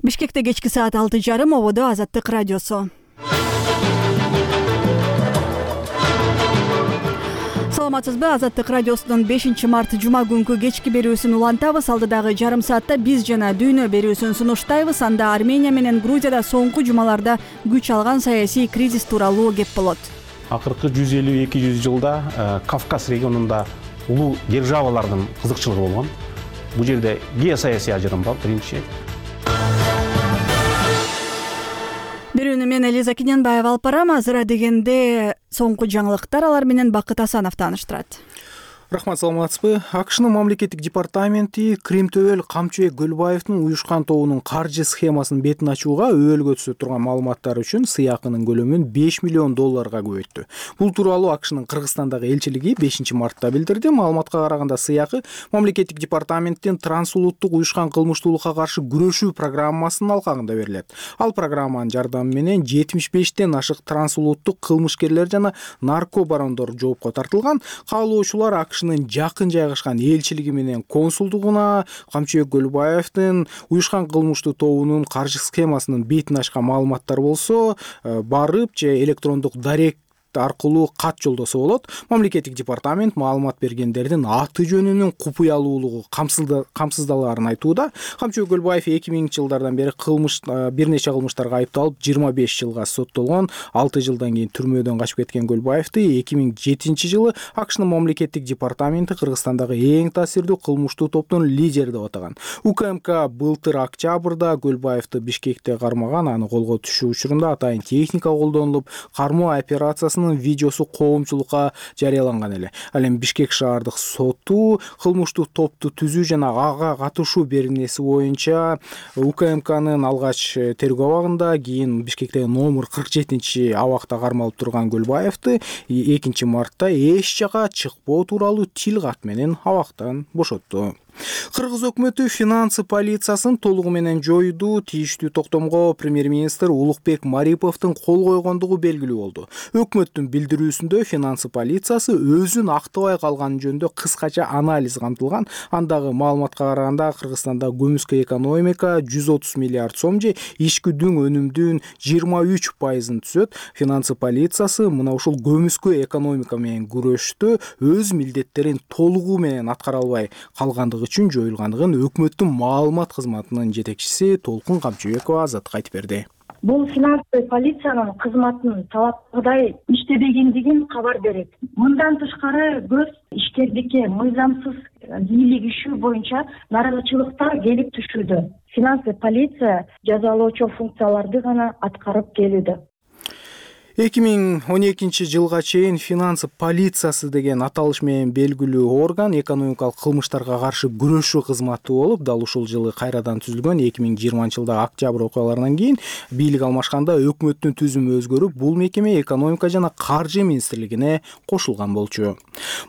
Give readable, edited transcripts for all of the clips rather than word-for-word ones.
Бишкекте кечки саат 6:30 ободо Азаттык радиосу. Саламатсызбы? Азаттык радиосунун 5-март жума күнкү кечки берүүсүн улантабыз. Алдыдагы жарым саатта биз жана дүйнө берүүсүн сунуштайбыз. Анда Армения менен Грузияда соңку жумаларда күч алган саясий кризис тууралуу кеп болот. Акыркы 150-200 жылда Кавказ регионунда улуу державалардын кызыкчылыгы болгон. Бул жерде геосаясий ажырым бар биринчи. Берүүнү мен Элиза Кененбаева алып барам. Азыр дегенде соңку жаңылыктар алар менен Бакыт Асанов тааныштырат. Рахмат, саламатсызбы? АКШнын мамлекеттик департаменти Кримтөбөл Камчыбек Гөлбаевдин уюшкан тобунун каржы схемасынын бетин ачууга өбөлгө турган маалыматтар үчүн сыйакынын көлөмүн $5 миллион көбөйттү. Бул тууралуу АКШнын Кыргызстандагы элчилиги 5-мартта билдирди. Маалыматка караганда сыякы мамлекеттик департаменттин трансулуттук уюшкан кылмыштуулукка каршы күрөшүү программасынын алкагында берилет. Ал программанын жардамы менен 75тен ашык трансулуттук кылмышкерлер жана наркобарондор жоопко тартылган. Каалоочулар АКШнын жакын жайгашкан элчилиги менен консулдугуна Камчыбек Гөлбаевдин уюшкан кылмыштуу тобунун каржы схемасынын бетин ачкан маалыматтар болсо барып же электрондук дарек аркылуу кат жолдосо болот. Мамлекеттик департамент маалымат бергендердин аты жөнүнүн купуялуулугу камсыздалаарын айтууда. Камчыбек Гөлбаев 2000-жылдардан бери бир нече кылмыштарга айыпталып 25 жылга соттолгон. 6 жылдан кийин түрмөдөн качып кеткен Гөлбаевди 2007-жылы АКШнын мамлекеттик департаменти Кыргызстандагы эң таасирдүү кылмыштуу топтун лидери деп атаган. УКМК былтыр октябрда Гөлбаевди Бишкекте кармаган, аны колго түшүү учурунда атайын техника колдонулуп, кармоо операциясынын видеосу коомчулукка жарыяланган эле. Ал эми Бишкек шаардык соту кылмыштуу топту түзүү жана ага катышуу беренеси боюнча УКМКнын алгач тергөө абагында, кийин Бишкектеги номер 47 абакта кармалып турган Гөлбаевди 2-мартта эч жака чыкпоо тууралуу тил кат менен абактан бошотту. Кыргыз өкмөтү финансы полициясын толугу менен жоюуду тийиштүү токтомго премьер-министр Улукбек Мариповдун кол койгондугу белгилүү болду. Өкмөттүн билдирүүсүндө финансы полициясы өзүн актабай калганы жөнүндө кыскача анализ камтылган. Андагы маалыматка караганда Кыргызстанда көмүскө экономика 130 миллиард сом же ичкүдүн өнүмдүн 23% түзөт. Финансы полициясы мына ушул көмүскө экономика менен күрөштө өз милдеттерин толугу менен аткара албай калгандыгы үчүн жоюлгандыгын өкмөттүн маалымат кызматынын жетекчиси Толкун Камчыбекова Азатка айтып берди. Бул финансы полициянын кызматынын талапкыдай иштебегендигин кабар берет. Мындан тышкары көз ишкердикке мыйзамсыз бийлигишүү боюнча нааразычылыктар келип түшүүдө. Финансы полиция жазалоочу функцияларды гана аткарып келүүдө. 2012-жылга чейин финансы полициясы деген аталыш менен белгилүү орган экономикалык кылмыштарга каршы күрөшүү кызматы болуп, дал ушул жылы кайрадан түзүлгөн. 2020-жылдагы октябрь окуяларынан кийин бийлик алмашканда өкмөттүн түзүмү өзгөрүп, бул мекеме экономика жана каржы министрлигине кошулган болчу.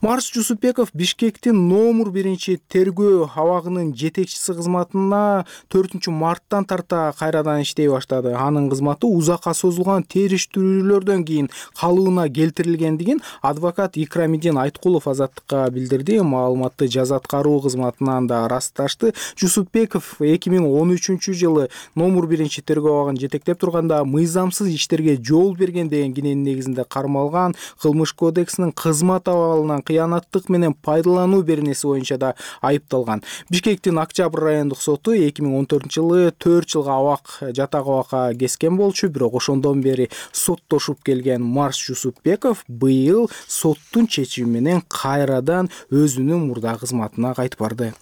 Марс Жусупбеков Бишкектин номер 1 тергөө абагынын жетекчиси кызматына 4-марттан тарта кайрадан иштей баштады. Анын кызматы узакка созулган териштирүүлөр кийин калыбына келтирилгендигин адвокат Икрамидин Айткулов Азаттыкка билдирди. Маалыматты жаза аткаруу кызматынан да ырасташты. Жусупбеков 2013-жылы номер 1 тергөө абагын жетектеп турганда мыйзамсыз иштерге жол берген деген киненин негизинде кармалган. Кылмыш кодексинин кызмат абалынан кыянаттык менен пайдалануу беренеси боюнча да айыпталган. Бишкектин Октябрь райондук соту 2014-жылы 4 жылга жатак абакка кескен болчу, бирок ошондон бери соттош келген Марс Жусупбеков быйыл соттун чечими менен кайрадан өзүнүн мурда кызматына кайтып барды.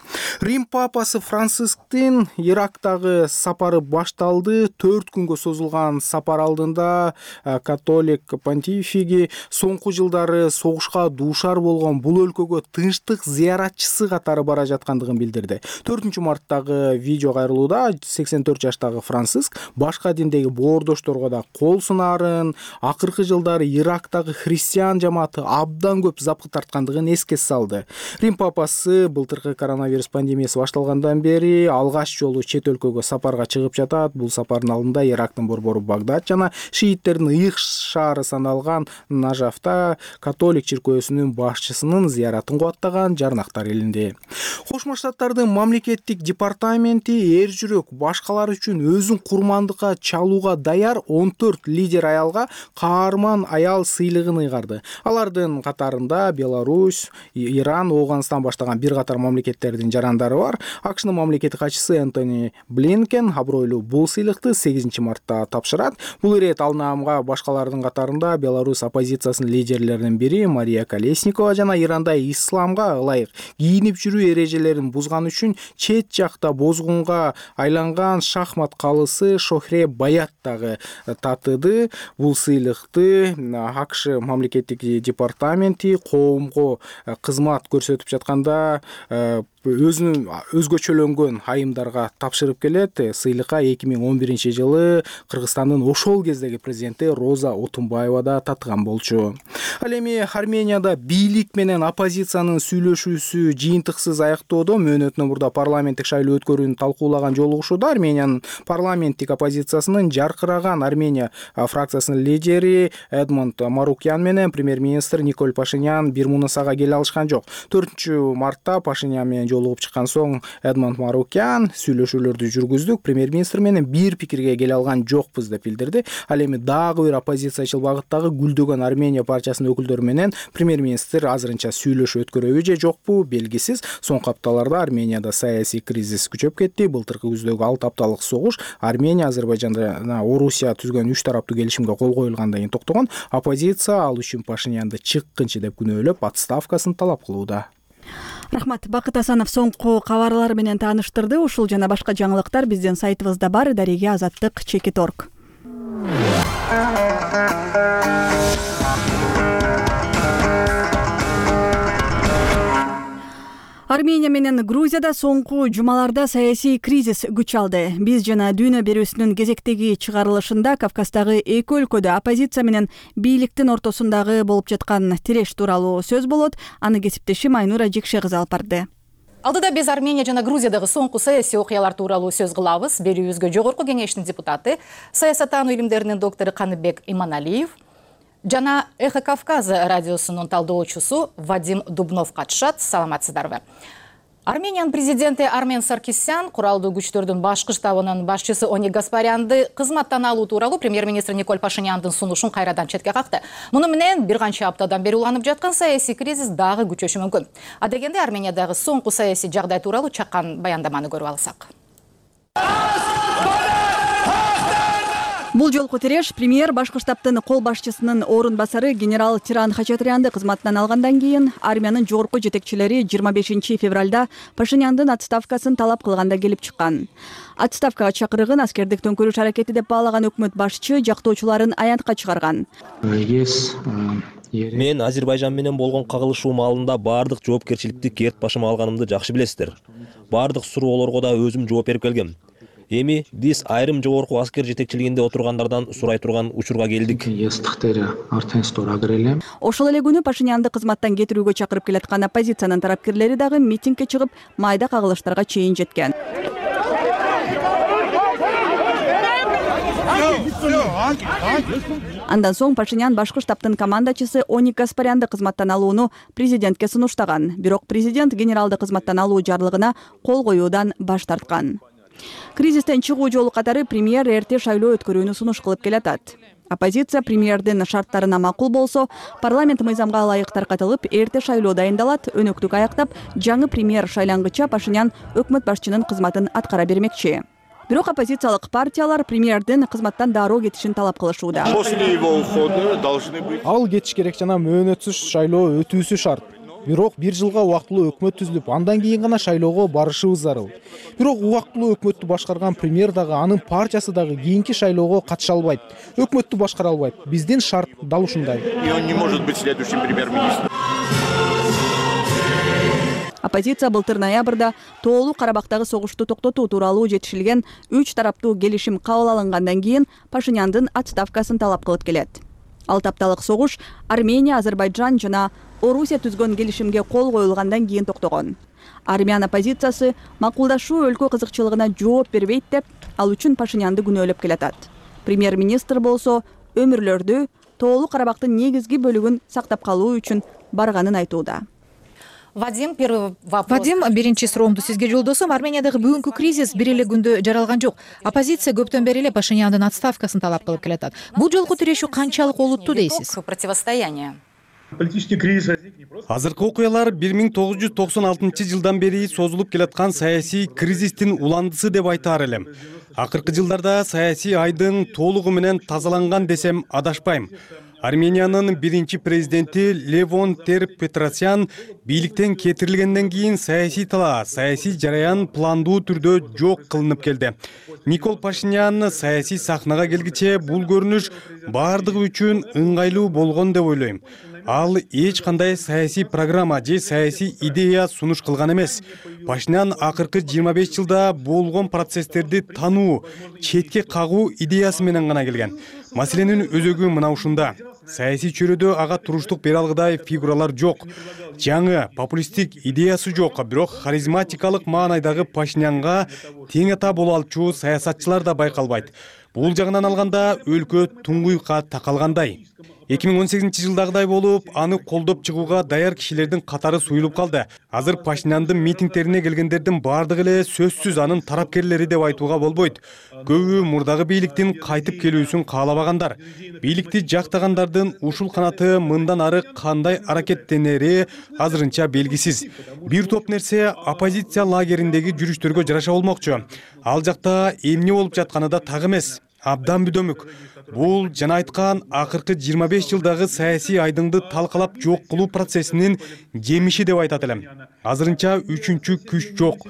Рим папасы Францисктин Ирактагы сапары башталды. 4 күнгө созулган сапар алдында католик понтифиги соңку жылдары согушка дуушар болгон бул өлкөгө тынчтык зыяратчысы катары бара жаткандыгын билдирди. 4-марттагы видео кайрылууда 84 жаштагы Франциск башка диндеги боордошторго да кол сунаарын, акыркы жылдары Ирактагы христиан жамааты абдан көп запкы тарткандыгын эске салды. Рим папасы былтыркы коронавирус пандемиясы башталгандан бери алгач жолу чет өлкөгө сапарга чыгып жатат. Бул сапардын алдында Ирактын борбору Багдад жана шииттердин ыйык шаары саналган Нажафта католик чиркөөсүнүн башчысынын зыяратын кубаттаган жарнактар илинди. Кошмо Штаттардын мамлекеттик департаменти эр жүрөк башкалар үчүн өзүн курмандыкка чалууга даяр 14 лидер аялга каарман аял сыйлыгын ыйгарды. Алардын катарында Беларусь, Иран, Ооганстан баштаган бир катар мамлекеттердин жарандары бар. АКШнын мамлекеттик катчысы Энтони Блинкен абройлуу бул сыйлыкты 8 мартта тапшырат. Бул ирет алнаамга башкалардын катарында Беларусь оппозициясынын лидерлеринин бири Мария Колесникова жана Иранда исламга ылайык кийинип жүрүү эрежелерин бузган үчүн чет жакта бозгунга айланган шахмат калысы Шохре Баят дагы татыды. Бул сыйлыкты АКШ мамлекеттик департаменти коомго кызмат көрсөтүп жатканда өзүнүн өзгөчөлөнгөн айымдарга тапшырып келет. Сыйлыкка 2011-жылы Кыргызстандын ошол кездеги президенти Роза Отунбаева да татыган болчу. Ал эми Арменияда бийлик менен оппозициянын сүйлөшүүсү жыйынтыксыз аяктоодо мөөнөтүнөн мурда парламенттик шайлоо өткөрүүнү талкуулаган жолугушууда Армениянын парламенттик оппозициясынын жаркыраган Армения фракциясынын лидери Эдмонд Марукян менен премьер-министр Николь Пашинян бир мунусага келе алышкан жок. 4-мартта Пашинян менен жолугуп чыккан соң Эдмонд Марукян сүйлөшүүлөрдү жүргүздүк, премьер-министр менен бир пикирге келе алган жокпуз деп билдирди. Ал эми дагы бир оппозициячыл багыттагы гүлдөгөн Армения партиясынын өкүлдөрү менен премьер-министр азырынча сүйлөшүү өткөрөбү же жокпу белгисиз. Соңку апталарда Арменияда саясий кризис күчөп кетти. Былтыркы күздөгү 6 апталык согуш Армения, Азербайжан жана Орусия түзгөн 3 тараптуу келишимге кол коюлгандан кийин токтогон. Оппозиция ал үчүн Пашинянды чыккынчы деп күнөөлөп, отставкасын талап кылууда. Рахмат. Бакыт Асанов соңку кабарлар менен тааныштырды. Ушул жана башка жаңылыктар биздин сайтыбызда бар. Дареге Азаттык _org. Армения менен Грузияда соңку жумаларда саясий кризис күч алды. Биз жана Дүйнө берүүсүнүн кезектеги чыгарылышында Кавказдагы эки өлкөдө оппозиция менен бийликтин ортосундагы болуп жаткан тиреш тууралуу сөз болот. Аны кесиптешим Айнура Жекше кызы алып барды. Алдыда биз Армения жана Грузиядагы соңку саясий окуялар тууралуу сөз кылабыз. Берүүбүзгө жогорку кеңештин депутаты, саясаттануу илимдеринин доктору Каныбек Иманалиев жана Эхо Кавказа радиосунун талдоочусу Вадим Дубнов катышат. Саламатсыздарбы? Армениянын президенти Армен Саркисян куралдуу күчтөрдүн башкы штабынын башчысы Оник Гаспарянды кызматтан алуу тууралуу премьер-министр Николь Пашиняндын сунушун кайрадан четке какты. Муну менен бир канча аптадан бери уланып жаткан саясий кризис дагы күчөшү мүмкүн. Адегенде Армениядагы соңку саясий жагдай тууралуу чаккан баяндаманы көрүп алсак. Бул жолку тиреш премьер башкы штабтын кол башчысынын орун басары генерал Тиран Хачатрянды кызматтан алгандан кийин армиянын жогорку жетекчилери 25 февралда Пашиняндын отставкасын талап кылганда келип чыккан. Отставкага чакырыгын аскердик төңкөрүш аракети деп баалаган өкмөт башчы жактоочуларын аянтка чыгарган. Мен Азербайжан менен болгон кагылышуу маалында бардык жоопкерчиликти керт башыма алганымды жакшы билесиздер. Бардык суроолорго да өзүм жооп берип келгем. Эми биз айрым жогорку аскер жетекчилигинде отургандардан сурай турган учурга келдик. Ошол эле күнү Пашинянды кызматтан кетирүүгө чакырып келаткан оппозициянын тарапкерлери дагы митингге чыгып, майда кагылыштарга чейин жеткен. Андан соң Пашинян башкы штабтын командачысы Оник Гаспарянды кызматтан алууну президентке сунуштаган. Бирок президент генералды кызматтан алуу жарлыгына кол коюудан баш тарткан. Кризистен чыгуу жолу катары премьер эрте шайлоо өткөрүүнү сунуш кылып келатат. Оппозиция премьердин шарттарына макул болсо, парламент мыйзамга ылайык таркатылып, эрте шайлоо дайындалат, өнөктүк аяктап, жаңы премьер шайлангыча Пашинян өкмөт башчынын кызматын аткара бермекчи. Бирок оппозициялык партиялар премьердин кызматтан дароо кетишин талап кылышууда. Ал кетиш керек жана мөөнөтсүз шайлоо өтүүсү шарт. Бирок бир жылга убактылуу өкмөт түзүлүп, андан кийин гана шайлоого барышыбыз зарыл. Бирок убактылуу өкмөттү башкарган премьер дагы, анын партиясы дагы кийинки шайлоого катыша албайт. Өкмөттү башкара албайт. Биздин шарт дал ушундай. И он не может быть следующим премьер-министром. Оппозиция былтыр ноябрда Тоолуу Карабактагы согушту токтотуу тууралуу жетишилген 3 тараптуу келишим кабыл алынгандан кийин Пашиняндын отставкасын талап кылып келет. 6 апталык согуш Армения, Азербайджан жана Орусия түзгөн келишимге кол коюлгандан кийин токтогон. Армян оппозициясы макулдашуу өлкө кызыкчылыгына жооп бербейт деп, ал үчүн Пашинянды күнөөлөп келатат. Премьер-министр болсо өмүрлөрдү Тоолуу Карабактын негизги бөлүгүн сактап калуу үчүн барганын айтууда. Вадим, первый вопрос. Вадим, биринчи суроомду сизге жолдосом. Армениядагы бүгүнкү кризис бир эле күндө жаралган жок. Оппозиция көптөн бери эле Пашиняндын отставкасын талап кылып келатат. Бул жолку тирешүү канчалык олуттуу дейсиз? Противостояние. Политический кризис. Азыркы окуялар 1996 жылдан бери созулуп келаткан саясий кризистин уландысы деп айтаар элем. Акыркы жылдарда саясий айдын толугу менен тазаланган десем адашпайм. Армениянын биринчи президенти Левон Тер-Петросян бийликтен кетирилгенден кийин саясий талаа, саясий жараян пландуу түрдө жок кылынып келди. Никол Пашинян саясий сахнага келгиче бул көрүнүш бардыгы үчүн ыңгайлуу болгон деп ойлойм. Ал эч кандай саясий программа же саясий идея сунуш кылган эмес. Пашинян акыркы 25 жылда болгон процесстерди тануу, четке кагуу идеясы менен гана келген. Маселенин өзөгү мына ушунда. Саясий чөйрөдө ага туруштук бере алгыдай фигуралар жок. Жаңы популисттик идеясы жок, бирок харизматикалык маанайдагы Пашинянга тең ата боло алчу саясатчылар да байкалбайт. Бул жагынан алганда өлкө туңгуйка такалгандай. 2018 жылдагыдай болуп, аны колдоп чыгууга даяр кишилердин катары суюлуп калды. Азыр Пашиняндын митингдерине келгендердин бардыгы эле сөзсүз анын тарапкерлери деп айтууга болбойт. Көбү мурдагы бийликтин кайтып келүүсүн каалабагандар. Бийликти жактагандардын ушул канаты мындан ары кандай аракеттенери азырынча белгисиз. Бир топ нерсе оппозиция лагериндеги жүрүштөргө жараша болмокчу. Ал жакта эмне болуп жатканы да так эмес. Абдан бүдөмүк. Бул жана айткан акыркы 25 жылдагы саясий айдыңды талкалап жок кылуу процессинин жемиши деп айтат элем. Азырынча үчүнчү күч жок.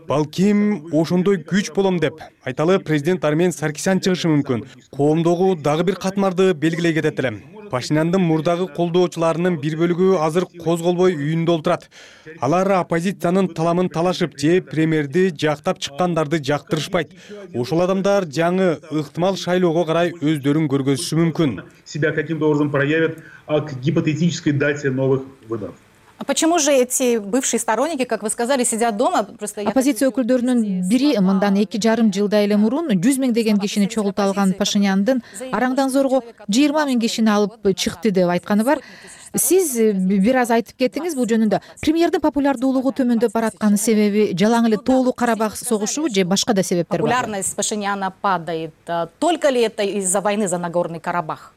Балким ошондой күч болом деп айталы президент Армен Саркисян чыгышы мүмкүн. Коомдогу дагы бир катмарды белгилей кетет элем. Пашиняндын мурдагы колдоочуларынын бир бөлүгү азыр козголбой үйүндө олтурат. Алар оппозициянын таламын талашып же премьерди жактап чыккандарды жактырышпайт. Ошол адамдар жаңы ыктымал шайлоого карай өздөрүн көргөзүшү мүмкүн. Себя каким-то образом проявят к гипотетической дате новых выборов. А почему же эти бывшие сторонники, как вы сказали, сидят дома? Оппозиция өкүлдөрүнүн бири мындан 2,5 жылдай эле мурун 100 миң деген кишини чогулта алган Пашиняндын араңдан зорго 20 миң кишини алып чыкты деп айтканы бар. Сиз бир аз айтып кеттиңиз бул жөнүндө. Премьердин популярдуулугу төмөндөп бараткан себеби жалаң эле Тоолуу Карабак согушу же башка да себептер бар? Популярность Пашиняна падает. Только ли это из-за войны за Нагорный Карабах?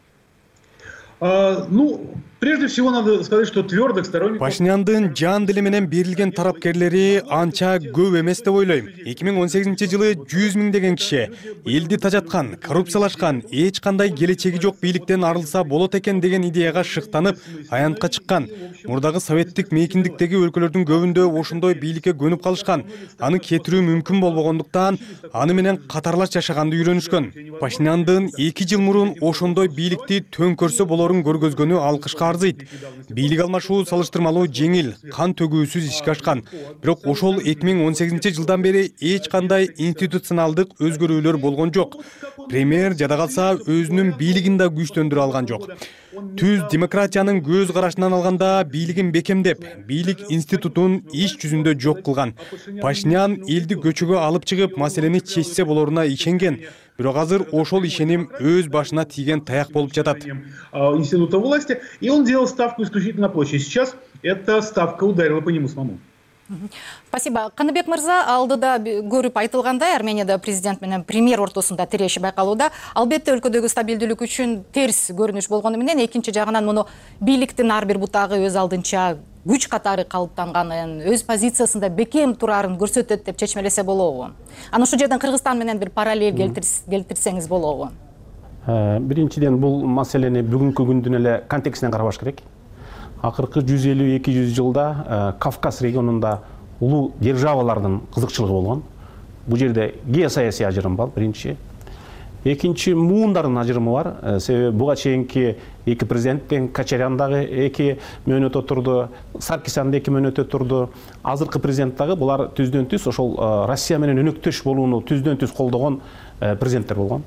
Прежде всего надо сказать, что твердых сторонников... Пашиняндын жан дили менен берилген тарапкерлери анча көп эмес деп ойлойм. 2018 жылы 100 миң деген киши элди тажаткан, коррупциялашкан, эч кандай келечеги жок бийликтен арылса болот экен деген идеяга шыктанып, аянтка чыккан. Мурдагы советтик мейкиндиктеги өлкөлөрдүн көбүндө ошондой бийликке көнүп калышкан. Аны кетирүү мүмкүн болбогондуктан аны менен катарлаш жашаганды үйрөнүшкөн. Пашиняндын 2 жыл мурун ошондой бийликти төңкөрсө болорун көргөзгөнү алкышка арзыйт. Бийлик алмашуу салыштырмалуу жеңил, кан төгүүсүз ишке ашкан. Бирок ошол 2018 жылдан бери эч кандай институционалдык өзгөрүүлөр болгон жок. Премьер жада калса өзүнүн бийлигин да күчтөндүрө алган жок. Түз демократиянын көз карашынан алганда бийлигин бекемдеп, бийлик институтун иш жүзүндө жок кылган. Пашинян элди көчөгө алып чыгып, маселени чечсе болоруна ишенген. Бирок азыр ошол ишеним өз башына тийген таяк болуп жатат. Института власти, и он делал ставку исключительно на площадь. Сейчас эта ставка ударила по нему самому. Спасибо. Каныбек мырза, алдыда көрүп айтылгандай, Арменияда президент менен премьер ортосунда тиреши байкалууда. Албетте өлкөдөгү стабилдүүлүк үчүн терс көрүнүш болгону менен, экинчи жагынан муну бийликтин ар бир бутагы өз алдынча күч катары калыптанганын, өз позициясында бекем турарын көрсөтөт деп чечмелесе болобу? Аны ушул жерден Кыргызстан менен бир параллель келтирсеңиз болобу? Биринчиден бул маселени бүгүнкү күндүн эле контекстинен карабаш керек. Акыркы 150-200 жылда Кавказ регионунда улуу державалардын кызыкчылыгы болгон. Бул жерде геосаясий ажырым бар, биринчи. Экинчи, муундардын ажырымы бар. Себеби буга чейинки эки президенттен Качарян дагы 2 мөөнөт отурду, Саркисян да 2 мөөнөт отурду. Азыркы президент дагы булар түздөн түз ошол Россия менен өнөктөш болууну түздөн түз колдогон президенттер болгон.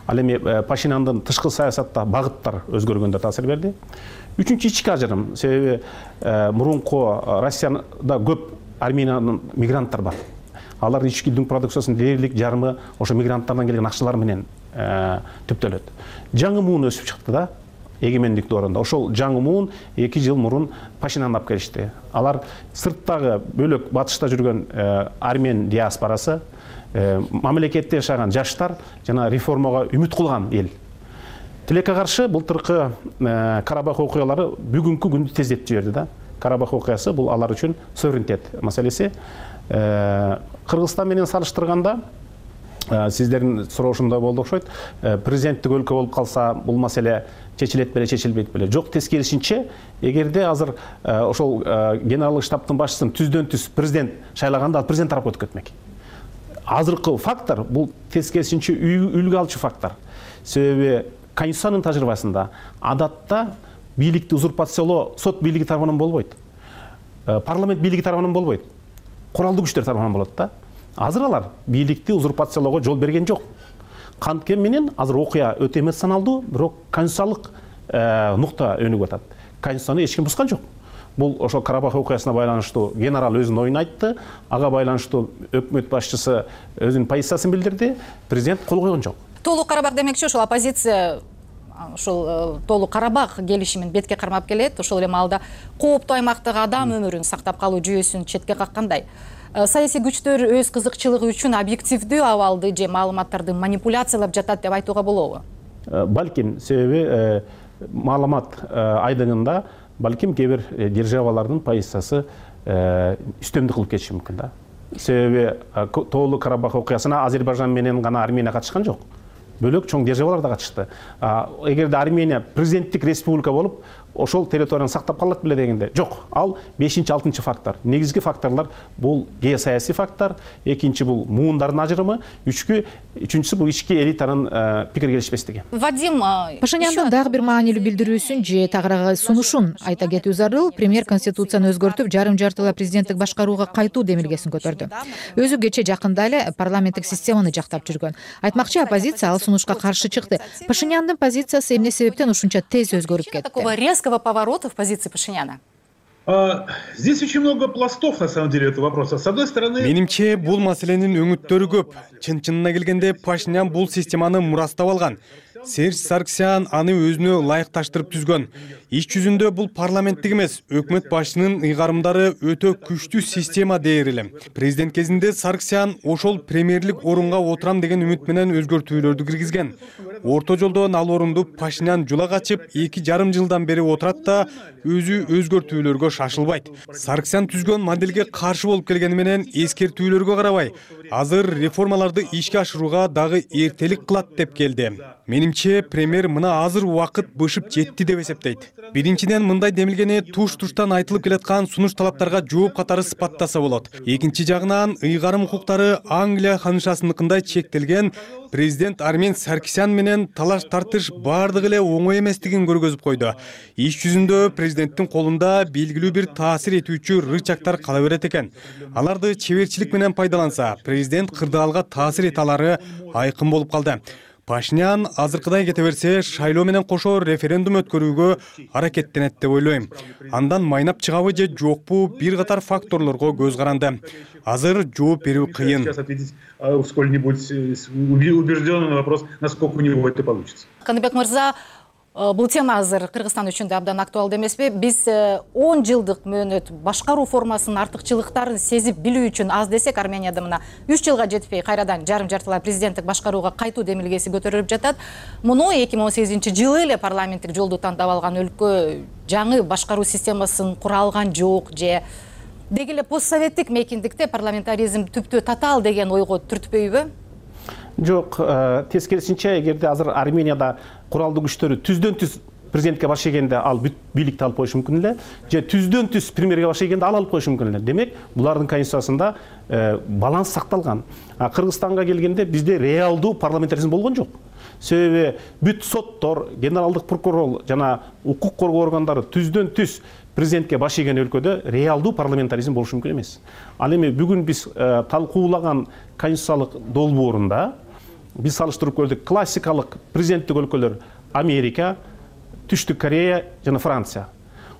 Ал эми Пашиняндын тышкы саясатта багыттар өзгөргөндө таасир берди. Үчүнчү ички ажырым, себеби мурунку Россияда көп Армениянын мигранттар бар. Алар ички дүң продукциясынын дээрлик жарымы ошо мигранттардан келген акчалар менен түптөлөт. Жаңы муун өсүп чыкты да, эгемендик доорунда. Ошол жаңы муун 2 жыл мурун Пашинянды алып келишти. Алар сырттагы бөлөк батышта жүргөн армян диаспорасы, мамлекетте жашаган жаштар жана реформага үмүт кылган эл. Тилекке каршы былтыркы Карабах окуялары бүгүнкү күндү тездетип жиберди да. Карабах окуясы бул алар үчүн суверенитет маселеси. Кыргызстан менен салыштырганда сиздердин суроошундай болду окшойт. Президенттик өлкө болуп калса бул маселе чечилет беле, чечилбейт беле? Жок, тескерисинче, эгерде азыр ошол генералдык штабтын башчысын түздөн түз президент шайлаганда ал президент тарапка өтүп кетмек. Азыркы фактор бул тескерисинче үлгү алчу фактор. Себеби Конституциянын тажрыйбасында адатта бийликти узурпациялоо сот бийлиги тарабынан болбойт. Парламент бийлиги тарабынан болбойт. Куралдуу күчтөр тарабынан болот да. Азыр алар бийликти узурпациялоого жол берген жок. Канткени менен азыр окуя өтө эмоционалдуу, бирок конституциялык нукта өнүгүп атат. Конституцияны эч ким бускан жок. Бул ошол Карабах окуясына байланыштуу генерал өзүнүн оюн айтты, ага байланыштуу өкмөт башчысы өзүнүн позициясын билдирди, президент кол койгон жок. Толук Карабах демекчи, ошол оппозиция ошол Толук Карабах келишимин бетке кармап келет. Ошол эле маалда кооптуу аймактагы адам өмүрүн сактап калуу жүйөсүн четке каккандай. Саясий күчтөр өз кызыкчылыгы үчүн объективдүү абалды же маалыматтарды манипуляциялап жатат деп айтууга болобу? Балким, себеби маалымат айдыңында балким кээ бир державалардын позициясы үстөмдүк кылып кетиши мүмкүн да. Себеби Тоолу Карабах окуясына Азербайжан менен гана Армения катышкан жок. Бөлөк чоң державалар да катышты. Эгерде Армения президенттик республика болуп, ошол территорияны сактап калат беле дегенде жок. Ал 5-6 фактор. Негизги факторлор бул геосаясий фактор, экинчи бул муундардын ажырымы, үчүнчүсү бул ички элитанын пикир келишпестиги. Вадим, Пашиняндын дагы бир маанилүү билдирүүсүн же тагыраагы сунушун айта кетүү зарыл. Премьер конституцияны өзгөртүп, жарым жартылай президенттик башкарууга кайтуу демилгесин көтөрдү. Өзү кече жакында эле парламенттик системаны жактап жүргөн. Айтмакчы, оппозиция ал сунушка каршы чыкты. Пашиняндын позициясы эмне себептен ушунча тез өзгөрүп кетти? Такого резкого поворота в позиции Пашиняна? Здесь очень много пластов, на самом деле, этого вопроса. С одной стороны... Менимче, бул маселенин өңүттөрү көп. Чын-чынына келгенде Пашинян бул системаны мурастап алган. Серж Сарксян аны өзүнө ылайыкташтырып түзгөн. Иш жүзүндө бул парламенттик эмес, өкмөт башчынын ыйгарымдары өтө күчтүү система дээр элем. Президент кезинде Сарксян ошол премьерлик орунга отурам деген үмүт менен өзгөртүүлөрдү киргизген. Орто жолдон ал орунду Пашинян жула качып, 2,5 жылдан бери отурат да өзү өзгөртүүлөргө шашылбайт. Сарксян түзгөн моделге каршы болуп келгени менен эскертүүлөргө карабай, азыр реформаларды ишке ашырууга дагы эртелик кылат деп келди. Менимче, премьер мына азыр убакыт бышып жетти деп эсептейт. Биринчиден, мындай демилгени туш-туштан айтылып келаткан сунуш талаптарга жооп катары сыпаттаса болот. Экинчи жагынан, ыйгарым укуктары Англия ханышасыныкындай чектелген, президент Армен Саркисян менен талаш-тартыш бардыгы эле оңой эместигин көргөзүп койду. Иш жүзүндө президенттин колунда белгилүү бир таасир этүүчү рычагтар кала берет экен. Аларды чеберчилик менен пайдаланса, президент кырдаалга таасир эте алары айкын болуп калды. Пашинян азыркыдай кете берсе, шайлоо менен кошо референдум өткөрүүгө аракеттенет деп ойлойм. Андан майнап чыгабы же жокпу бир катар факторлорго көз каранды. Азыр жооп берүү кыйын. Сколь-нибудь убеждённый на вопрос, насколько у него это получится. Каныбек мырза, бул тема азыр Кыргызстан үчүн да абдан актуалдуу эмеспи? Биз 10 жылдык мөөнөт башкаруу формасынын артыкчылыктарын сезип билүү үчүн аз десек, Арменияда мына 3 жылга жетпей кайрадан жарым жартылай президенттик башкарууга кайтуу демилгеси көтөрүлүп жатат. Муну 2018-жылы эле парламенттик жолду тандап алган өлкө жаңы башкаруу системасын кура алган жок же деги эле постсоветтик мейкиндикте парламентаризм түптүү татаал деген ойго түртпөйбү? Жок, тескерисинче, эгерде азыр Арменияда куралдуу күчтөрү түздөн түз президентке баш ийгенде ал бүт бийликти алып коюшу мүмкүн эле, же түздөн түз премьерге баш ийгенде ал алып коюшу мүмкүн эле. Демек, булардын конституциясында баланс сакталган. Кыргызстанга келгенде бизде реалдуу парламентаризм болгон жок. Себеби бүт соттор, генералдык прокурор жана укук коргоо органдары түздөн түз президентке баш ийген өлкөдө реалдуу парламентаризм болушу мүмкүн эмес. Ал эми бүгүн биз талкуулаган конституциялык долбоорунда биз салыштырып көрдүк. Классикалык президенттик өлкөлөр Америка, Түштүк Корея жана Франция.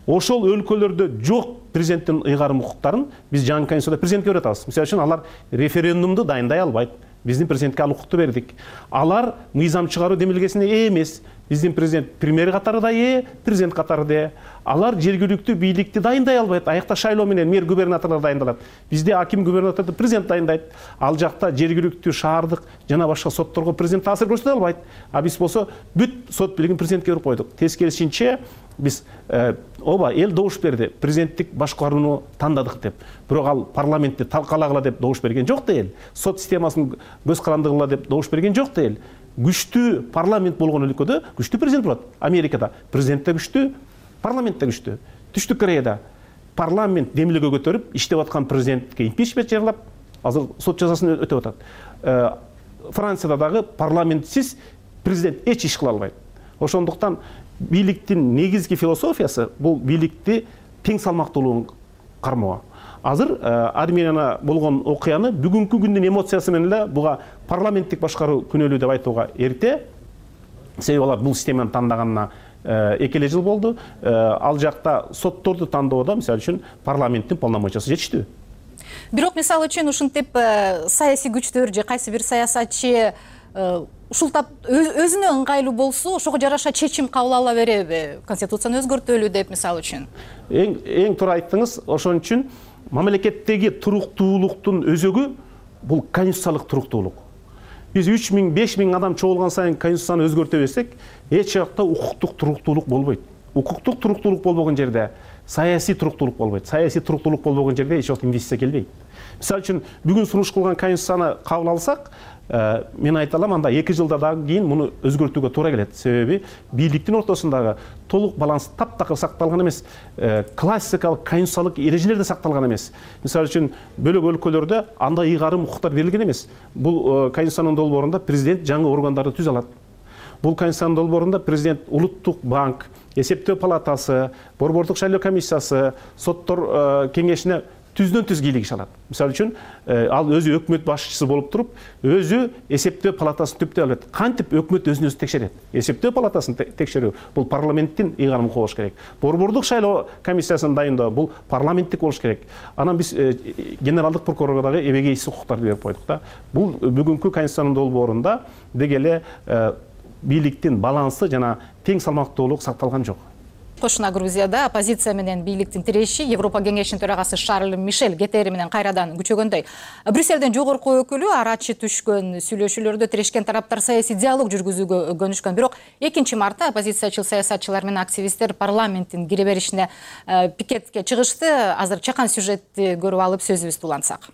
Ошол өлкөлөрдө жок президенттин ыйгарым укуктарын биз жаңы конституцияда президентке берип атабыз. Мисалы үчүн алар референдумду дайындай албайт. Биздин президентке ал укукту бердик. Алар мыйзам чыгаруу демилгесине ээ эмес. Биздин президент премьер катары да ээ, президент катары да ээ. Алар жергиликтүү бийликти дайындай албайт. Аякта шайлоо менен мэр губернаторлор дайындалат. Бизде аким губернаторду президент дайындайт. Ал жакта жергиликтүү шаардык жана башка сотторго президент таасир көрсөтө албайт. А биз болсо бүт сот бийлигин президентке берип койдук. Тескерисинче биз ооба эл добуш берди. Президенттик башкарууну тандадык деп. Бирок ал парламентти талкалагыла деп добуш берген жок да эл. Сот системасын көз карандыгыла деп добуш берген жок да эл. Күчтүү парламент болгон өлкөдө күчтүү президент болот. Америкада президент да күчтүү, парламент да күчтүү. Түштүк Кореяда парламент демилге көтөрүп, иштеп аткан президентке импичмент жарыялап, азыр сот жазасын өтөп атат. Францияда дагы парламентсиз президент эч иш кыла албайт. Ошондуктан бийликтин негизги философиясы бул бийликти тең салмактуулугун кармоо. Азыр Арменияда болгон окуяны бүгүнкү күндүн эмоциясы менен эле буга парламенттик башкаруу күнөөлүү деп айтууга эрте. Себеби алар бул системаны тандаганына 2 жыл болду. Ал жакта сотторду тандоодо мисалы үчүн парламенттин полномочиясы жетиштүү. Бирок мисалы үчүн ушинтип саясий күчтөр же кайсы бир саясатчы ушултап өзүнө ыңгайлуу болсо, ошого жараша чечим кабыл ала береби? Конституцияны өзгөртөлү деп мисалы үчүн. Эң туура айттыңыз. Ошон үчүн мамлекеттеги туруктуулуктун өзөгү бул конституциялык туруктуулук. Биз 3000-5000 адам чогулган сайын конституцияны өзгөртө берсек, эч жакта укуктук туруктуулук болбойт. Укуктук туруктуулук болбогон жерде саясий туруктуулук болбойт. Саясий туруктуулук болбогон жерде эч вакыт инвестиция келбейт. Мисалы үчүн бүгүн сунуш кылган конституцияны кабыл алсак, мен айта алам, анда 2 жылдан кийин муну өзгөртүүгө туура келет. Себеби бийликтин ортосундагы толук баланс таптакыр сакталган эмес, классикалык конституциялык эрежелер да сакталган эмес. Мисалы үчүн бөлөк өлкөлөрдө андай ыйгарым укуктар берилген эмес. Бул конституциянын долбоорунда президент жаңы органдарды түзө алат. Бул конституциянын долбоорунда президент улуттук банк, эсептөө палатасы, борбордук шайлоо комиссиясы, соттор кеңешине түздөн-түз кийлигиш алат. Мисалы үчүн ал өзү өкмөт башчысы болуп туруп, өзү эсептөө палатасын түптөй алат. Кантип өкмөт өзүн өзү текшерет? Эсептөө палатасын текшерүү бул парламенттин ыйгарымы болуш керек. Борбордук шайлоо комиссиясын дайындоо бул парламенттик болуш керек. Анан биз генералдык прокурорго дагы эбегейсиз укуктарды берип койдук да. Бул бүгүнкү конституциянын долбоорунда деги эле бийликтин балансы жана тең салмактуулук сакталган жок. Кошуна Грузияда оппозиция менен бийликтин тиреши Европа кеңешинин төрагасы Шарль Мишель кетери менен кайрадан күчөгөндөй. Брюссельден жогорку өкүлү арачы түшкөн сүйлөшүүлөрдө тирешкен тараптар саясий диалог жүргүзүүгө көнүшкөн. Бирок 2 мартта оппозициячыл саясатчылар менен активисттер парламенттин кире беришине пикетке чыгышты. Азыр чакан сюжетти көрүп алып сөзүбүздү улантсак.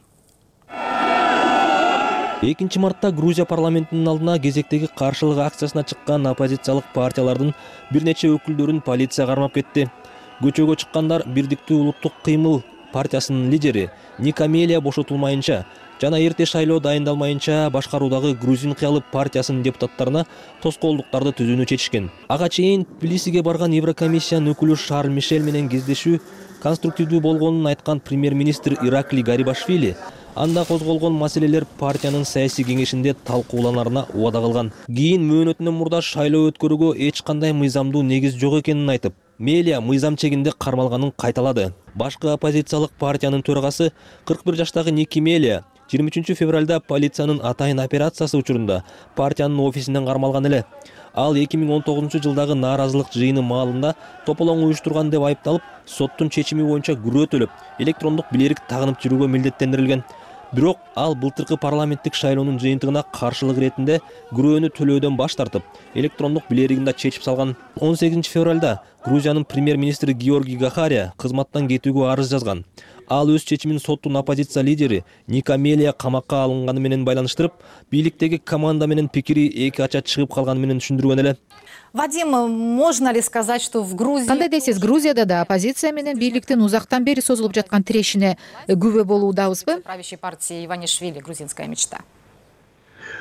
2 мартта Грузия парламентинин алдына кезектеги каршылык акциясына чыккан оппозициялык партиялардын бир нече өкүлдөрүн полиция кармап кетти. Көчөгө чыккандар Бирдиктүү улуттук кыймыл партиясынын лидери Ника Мелия бошотулмайынча жана эрте шайлоо дайындалмайынча башкаруудагы Грузин кыялы партиясынын депутаттарына тоскоолдуктарды түзүүнү чечишкен. Ага чейин Тбилисиге барган Еврокомиссиянын өкүлү Шарль Мишель менен кездешүү конструктивдүү болгонун айткан премьер-министр Иракли Гарибашвили анда козголгон маселелер партиянын саясий кеңешинде талкууланарына убада кылган. Кийин мөөнөтүнөн мурда шайлоо өткөрүүгө эч кандай мыйзамдуу негиз жок экенин айтып, Мелия мыйзам чегинде кармалганын кайталады. Башкы оппозициялык партиянын төрагасы 41 жаштагы Ники Мелия 23 февралда полициянын атайын операциясы учурунда партиянын офисинен кармалган эле. Ал 2019 жылдагы нааразылык жыйыны маалында тополоң уюштурган деп айыпталып, соттун чечими боюнча күрөөтөлүп, электрондук билерик тагынып жүрүүгө милдеттендирилген. Бирок ал былтыркы парламенттик шайлоонун жыйынтыгына каршылык иретинде күрөөнү төлөөдөн баш тартып, электрондук билеригин да чечип салган. 18 февралда Грузиянын премьер-министри Георгий Гахария кызматтан кетүүгө арыз жазган. Ал өз чечимин соттун оппозиция лидери Ника Мелия камакка алынганы менен байланыштырып, бийликтеги команда менен пикири эки ача чыгып калганы менен түшүндүргөн эле. Вадим, можно ли сказать, что в Грузии... Кандай дейсиз, Грузияда да оппозиция менен бийликтин узактан бери созулуп жаткан тирешине күбө болуудабызбы? Правящей партии Иванишвили, грузинская мечта.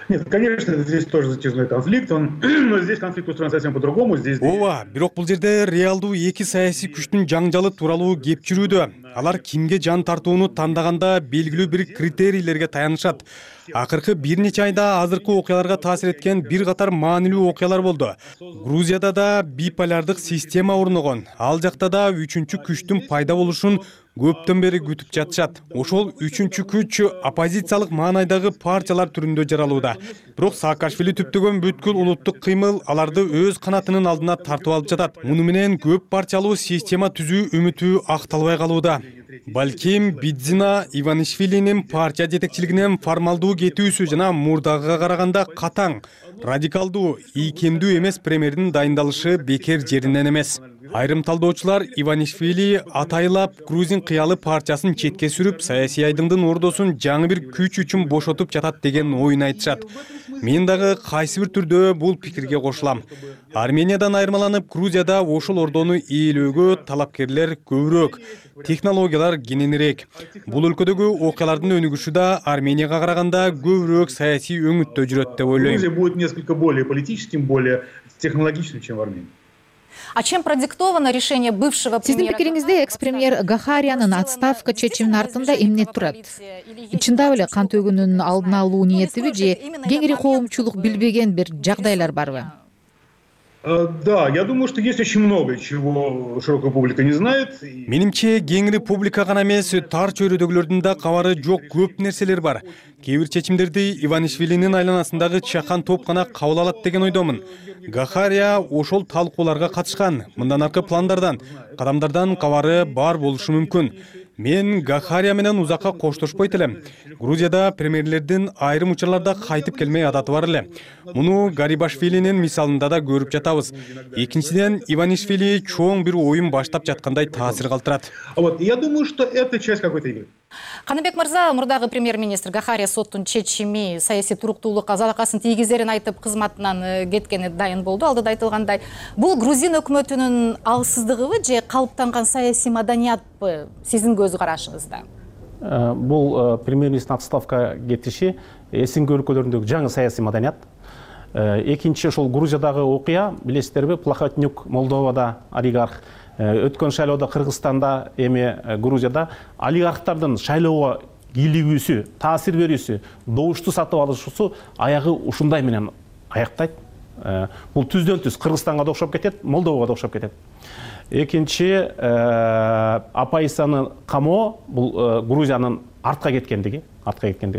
Нет, конечно, здесь тоже затяжной конфликт, но здесь конфликт устроен совсем по-другому. Ооба, бирок бул жерде реалдуу эки саясий күчтүн жаңжалы тууралуу кеп жүрүүдө. Алар кимге жан тартууну тандаганда белгилүү бир критерийлерге таянышат. Акыркы бир нече айда азыркы окуяларга таасир эткен бир катар маанилүү окуялар болду. Грузияда да биполярдык система орногон. Ал жакта да үчүнчү күчтүн пайда болушун көптөн бери күтүп жатышат. Ошол үчүнчү күч оппозициялык маанайдагы партиялар түрүндө жаралууда. Бирок Саакашвили түптөгөн бүткүл улуттук кыймыл аларды өз канатынын алдына тартып алып жатат. Муну менен көп партиялуу система түзүү үмүтү акталбай калууда. Балким Бидзина Иванишвилинин партия жетекчилигинен формалдуу кетүүсү жана мурдагыга караганда катаң, радикалдуу, ийкемдүү эмес премьердин дайындалышы бекер жеринен эмес. Айрым талдоочулар Иванишвили атайлап Грузин кыялы партиясын четке сүрүп, саясий айдыңдын ордосун жаңы бир күч үчүн бошотуп жатат деген оюн айтышат. Мен дагы кайсы бир түрдө бул пикирге кошулам. Армениядан айырмаланып, Грузияда ошол ордону ээлөөгө талапкерлер көбүрөөк, технологиялар кененирээк. Бул өлкөдөгү окуялардын өнүгүшү да Арменияга караганда көбүрөөк саясий өңүттө жүрөт деп ойлойм. Грузия будет несколько более политическим, более технологичным, чем в Армении. А чем продиктовано решение бывшего Сиздин премьера? пикириңизде экс-премьер Гахариянын отставка чечиминин артында эмне турат? Чындап эле кан төгүүнүн алдын алуу ниетиби же кеңири коомчулук билбеген бир жагдайлар барбы? Да, я думаю, что есть очень много чего широкая публика не знает. Менимче кеңири публика гана эмес, тар чөйрөдөгүлөрдүн да кабары жок көп нерселер бар. Кээ бир чечимдерди Иванишвилинин айланасындагы чакан топ гана кабыл алат деген ойдомун. Гахария ошол талкууларга катышкан. Мындан аркы пландардан, кадамдардан кабары бар болушу мүмкүн. Мен Гахария менен узакка коштошпойт элем. Грузияда премьерлердин айрым учурларда кайтып келмей адаты бар эле. Муну Гарибашвилинин мисалында да көрүп жатабыз. Экинчиден, Иванишвили чоң бир оюн баштап жаткандай таасир калтырат. Вот, я думаю, что это часть какой-то игры. Каныбек мырза, мурдагы премьер-министр Гахария соттун чечими саясий туруктуулукка залакасын тийгизерин айтып кызматынан кеткени дайын болду. Алдыда айтылгандай, бул грузин өкмөтүнүн алсыздыгыбы же калыптанган саясий маданиятпы сиздин көз карашыңызда? Бул премьер-министрдин отставка кетиши эсинки өлкөлөрүндөгү жаңы саясий маданият. Экинчи ошол Грузиядагы окуя, билесиздерби, Плохотнюк Молдовада олигарх, өткөн шайлоодо Кыргызстанда, эми Грузияда олигархтардын шайлоого кийлигүүсү, таасир берүүсү, добушту сатып алышуусу аягы ушундай менен аяктайт. Бул түздөн түз Кыргызстанга да окшоп кетет, Молдовага да окшоп кетет. Экинчи, оппозициянын камоо бул Грузиянын артка кеткендиги.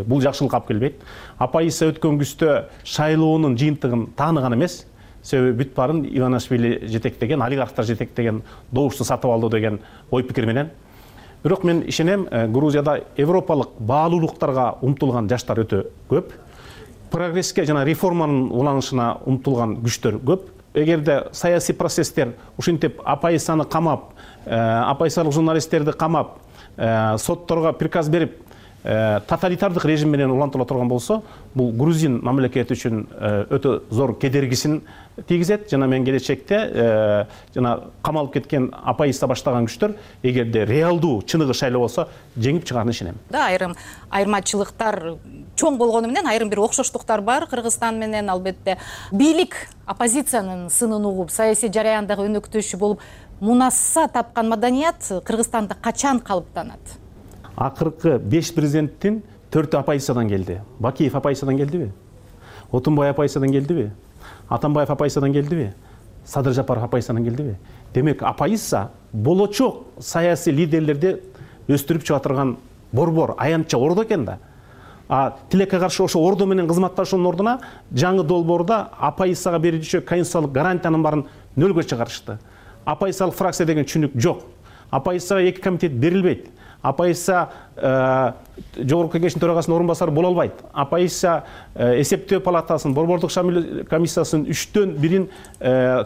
Бул жакшылыкка алып келбейт. Оппозиция өткөн күздө шайлоонун жыйынтыгын тааныган эмес. Себеби бүт барын Иванишвили жетектеген, олигархтар жетектеген добушту сатып алды деген ой пикир менен. Бирок мен ишенем, Грузияда европалык баалуулуктарга умтулган жаштар өтө көп. Прогресске жана реформанын уланышына умтулган күчтөр көп. Эгерде саясий процесстер ушинтип оппозицияны камап, оппозициялык журналисттерди камап, сотторго приказ берип, тоталитардык режим менен улантыла турган болсо, бул грузин мамлекети үчүн өтө зор кедергисин тийгизет. Жана мен келечекте жана камалып кеткен оппозиция баштаган күчтөр эгерде реалдуу чыныгы шайлоо болсо жеңип чыгарына ишенем. Да, айырмачылыктар чоң болгону менен айрым бир окшоштуктар бар Кыргызстан менен. Албетте бийлик оппозициянын сынын угуп, саясий жараяндагы өнөктөшү болуп мунасса тапкан маданият Кыргызстанда качан калыптанат? Акыркы 5 президенттин 4 оппозициядан келди. Бакиев оппозициядан келдиби? Отунбай оппозициядан келдиби? Атамбаев оппозициядан келдиби? Садыр Жапаров оппозициядан келдиби? Демек, оппозиция болочок саясий лидерлерди өстүрүп чыга турган борбор, аянтча ордо экен да. Тилекке каршы ошо ордо менен кызматташуунун ордуна жаңы долбоордо оппозицияга берүүчү конституциялык гарантиянын баарын нөлгө чыгарышты. Оппозициялык фракция деген түшүнүк жок. Оппозицияга 2 комитет берилбейт. Оппозиция жогорку кеңештин төрагасынын орун басары боло албайт. Оппозиция эсептөө палатасынын, борбордук комиссиясынын 3төн 1-ин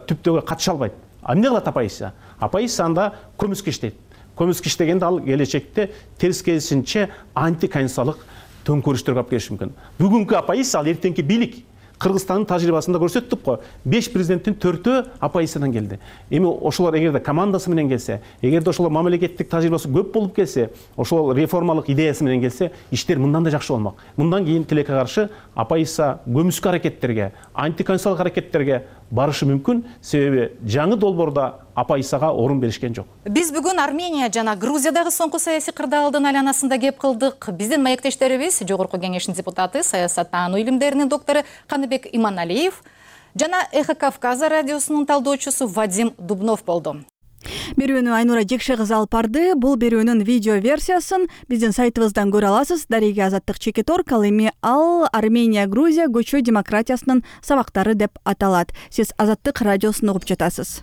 түптөөгө катыша албайт. Эмне кылат оппозиция? Оппозиция анда көмүскө иштейт. Көмүскө иштегенде ал келечекте терс керисинче антиконституциялык төңкөрүштөргө алып келиши мүмкүн. Бүгүнкү оппозиция ал эртеңки бийлик. Кыргызстандын тажрыйбасында көрсөттүк го. 5 президенттин 4-өө оппозициядан келди. Эми ошолор эгерде командасы менен келсе, эгерде ошолор мамлекеттик тажрыйбасы көп болуп келсе, ошол реформалык идеясы менен келсе, иштер мындан да жакшы болмок. Мындан кийин тилекке каршы оппозиция көмүскө аракеттерге, антиконституциялык аракеттерге барышы мүмкүн, себеби жаңы долбоордо оппозицияга орун беришкен жок. Биз бүгүн Армения жана Грузиядагы соңку саясий кырдаалдын айланасында кеп кылдык. Биздин маектештерибиз Жогорку Кеңештин депутаты, саясаттануу илимдеринин доктору Каныбек Иманалиев жана Эхо Кавказа радиосунун талдоочусу Вадим Дубнов болду. Берүүнү Айнура Жекше кызы алып барды. Бул берүүнүн видео версиясын биздин сайтыбыздан көрө аласыз. Дарига Азаттык Чекитор ал эми ал Армения Грузия көчө демократиясынын сабактары деп аталат. Сиз Азаттык радиосун угуп жатасыз.